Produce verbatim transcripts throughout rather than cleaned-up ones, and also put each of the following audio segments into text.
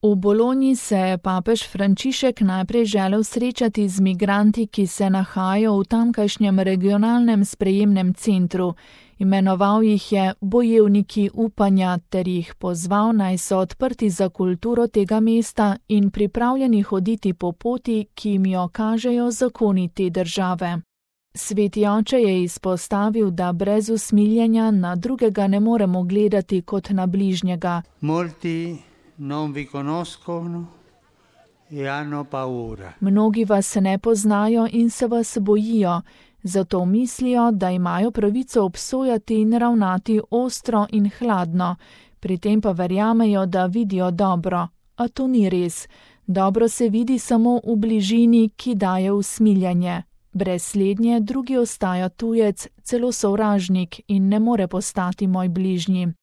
V Bologni se je papež Frančišek najprej želel srečati z migranti, ki se nahajajo v tamkajšnjem regionalnem sprejemnem centru. Imenoval jih je bojevniki upanja ter jih pozval, naj so odprti za kulturo tega mesta in pripravljeni hoditi po poti, ki jim jo kažejo zakoni te države. Sveti oče je izpostavil, da brez usmiljenja na drugega ne moremo gledati kot na bližnjega. Molti non vi conoscono e hanno paura. Mnogi vas ne poznajo in se vas bojijo, zato mislijo, da imajo pravico obsojati in ravnati ostro in hladno, pri tem pa verjamejo, da vidijo dobro, a to ni res. Dobro se vidi samo v bližini, ki daje usmiljanje. Brez slednje drugi ostaja tujec, celo sovražnik in ne more postati moj bližnji.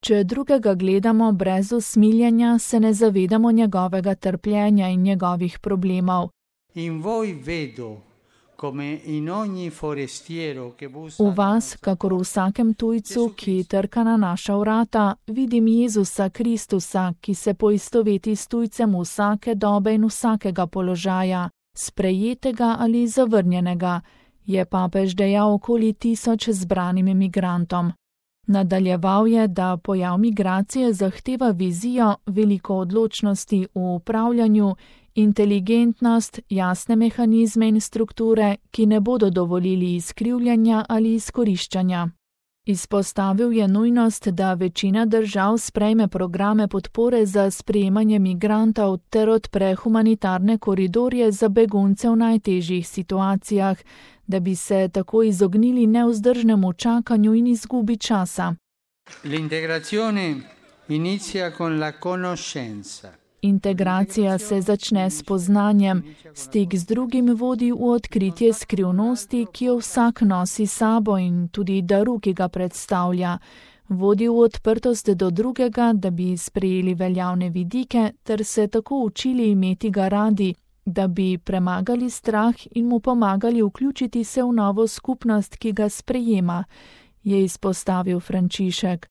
Če drugega gledamo brez usmiljenja, se ne zavedamo njegovega trpljenja in njegovih problemov. In voi vedo, come in ogni forestiero che bussa. V vas, kakor v vsakem tujcu, ki trka na naša vrata, vidim Jezusa Kristusa, ki se poistoveti s tujcem vsake dobe in vsakega položaja, sprejetega ali zavrnjenega, je papež dejal okoli tisoč zbranim migrantom. Nadaljeval je, da pojav migracije zahteva vizijo, veliko odločnosti v upravljanju, inteligentnost, jasne mehanizme in strukture, ki ne bodo dovolili izkrivljanja ali izkoriščanja. Izpostavil je nujnost, da večina držav sprejme programe podpore za sprejemanje migrantov ter odpre humanitarne koridorje za begunce v najtežjih situacijah, da bi se tako izognili nevzdržnemu čakanju in izgubi časa. L'integrazione inizia con la conoscenza. Integracija se začne s poznanjem, stik z drugim vodi v odkritje skrivnosti, ki jo vsak nosi sabo in tudi daru, ki ga predstavlja. Vodi v odprtost do drugega, da bi sprejeli veljavne vidike ter se tako učili imeti ga radi, da bi premagali strah in mu pomagali vključiti se v novo skupnost, ki ga sprejema, je izpostavil Frančišek.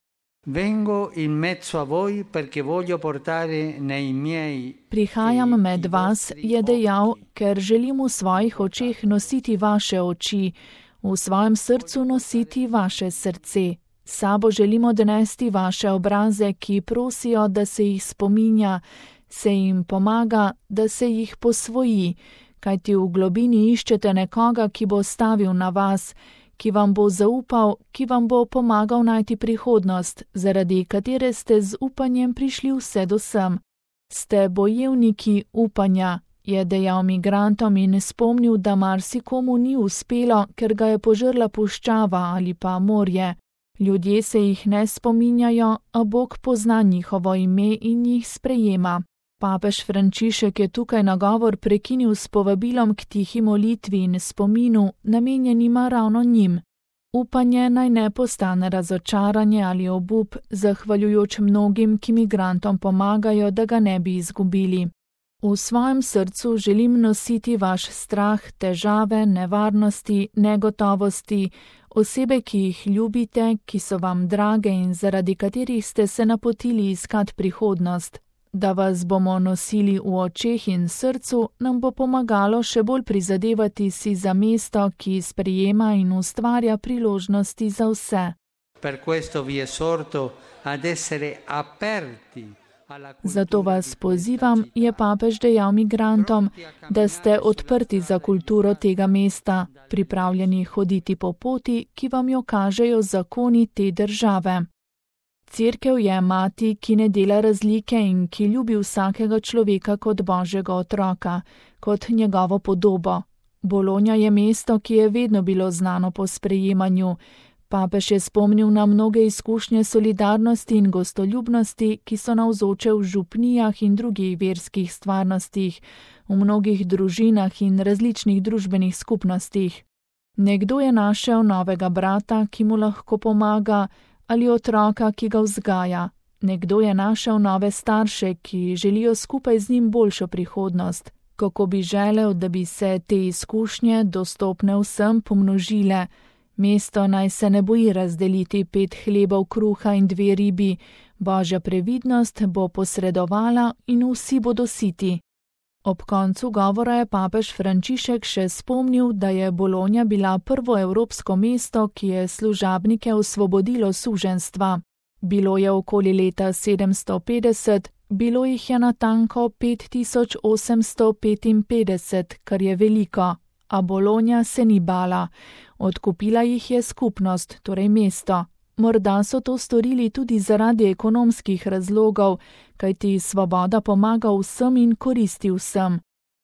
Vengo in mezzo a voi perché voglio portare nei miei. Prihajam med vas, je dejal, ker želim v svojih očeh nositi vaše oči, v svojem srcu nositi vaše srce. Sabo želim odnesti vaše obraze, ki prosijo, da se jih spominja, se jim pomaga, da se jih posvoji, kajti v globini iščete nekoga, ki bo stavil na vas, ki vam bo zaupal, ki vam bo pomagal najti prihodnost, zaradi katere ste z upanjem prišli vse do sem. Ste bojevniki upanja, je dejal migrantom in spomnil, da marsikomu ni uspelo, ker ga je požrla puščava ali pa morje. Ljudje se jih ne spominjajo, a Bog pozna njihovo ime in jih sprejema. Papež Frančišek je tukaj nagovor prekinil s povabilom k tihi molitvi in spominu, namenjenima ravno njim. Upanje naj ne postane razočaranje ali obup, zahvaljujoč mnogim, ki migrantom pomagajo, da ga ne bi izgubili. V svojem srcu želim nositi vaš strah, težave, nevarnosti, negotovosti, osebe, ki jih ljubite, ki so vam drage in zaradi katerih ste se napotili iskat prihodnost. Da vas bomo nosili v očeh in srcu, nam bo pomagalo še bolj prizadevati si za mesto, ki sprejema in ustvarja priložnosti za vse. Per questo vi esorto ad essere aperti. Zato vas pozivam, je papež dejal migrantom, da ste odprti za kulturo tega mesta, pripravljeni hoditi po poti, ki vam jo kažejo zakoni te države. Cerkev je mati, ki ne dela razlike in ki ljubi vsakega človeka kot Božjega otroka, kot njegovo podobo. Bologna je mesto, ki je vedno bilo znano po sprejemanju. Papež je spomnil na mnoge izkušnje solidarnosti in gostoljubnosti, ki so navzoče v župnijah in drugih verskih stvarnostih, v mnogih družinah in različnih družbenih skupnostih. Nekdo je našel novega brata, ki mu lahko pomaga, ali otroka, ki ga vzgaja. Nekdo je našel nove starše, ki želijo skupaj z njim boljšo prihodnost. Kako bi želel, da bi se te izkušnje, dostopne vsem, pomnožile. Mesto naj se ne boji razdeliti pet hlebov kruha in dve ribi, Božja previdnost bo posredovala in vsi bodo siti. Ob koncu govora je papež Frančišek še spomnil, da je Bologna bila prvo evropsko mesto, ki je služabnike osvobodilo suženjstva. Bilo je okoli leta sedemsto petdeset, bilo jih je natanko pet tisoč osemsto petinpetdeset, kar je veliko, a Bologna se ni bala. Odkupila jih je skupnost, torej mesto. Morda so to storili tudi zaradi ekonomskih razlogov, kajti svoboda pomaga vsem in koristi vsem.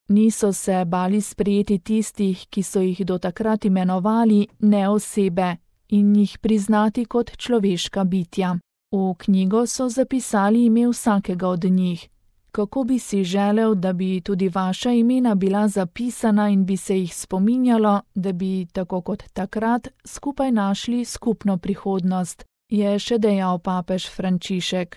Niso se bali sprejeti tistih, ki so jih do takrat imenovali ne osebe, in jih priznati kot človeška bitja. V knjigo so zapisali ime vsakega od njih. Kako bi si želel, da bi tudi vaša imena bila zapisana in bi se jih spominjalo, da bi, tako kot takrat, skupaj našli skupno prihodnost, je še dejal papež Frančišek.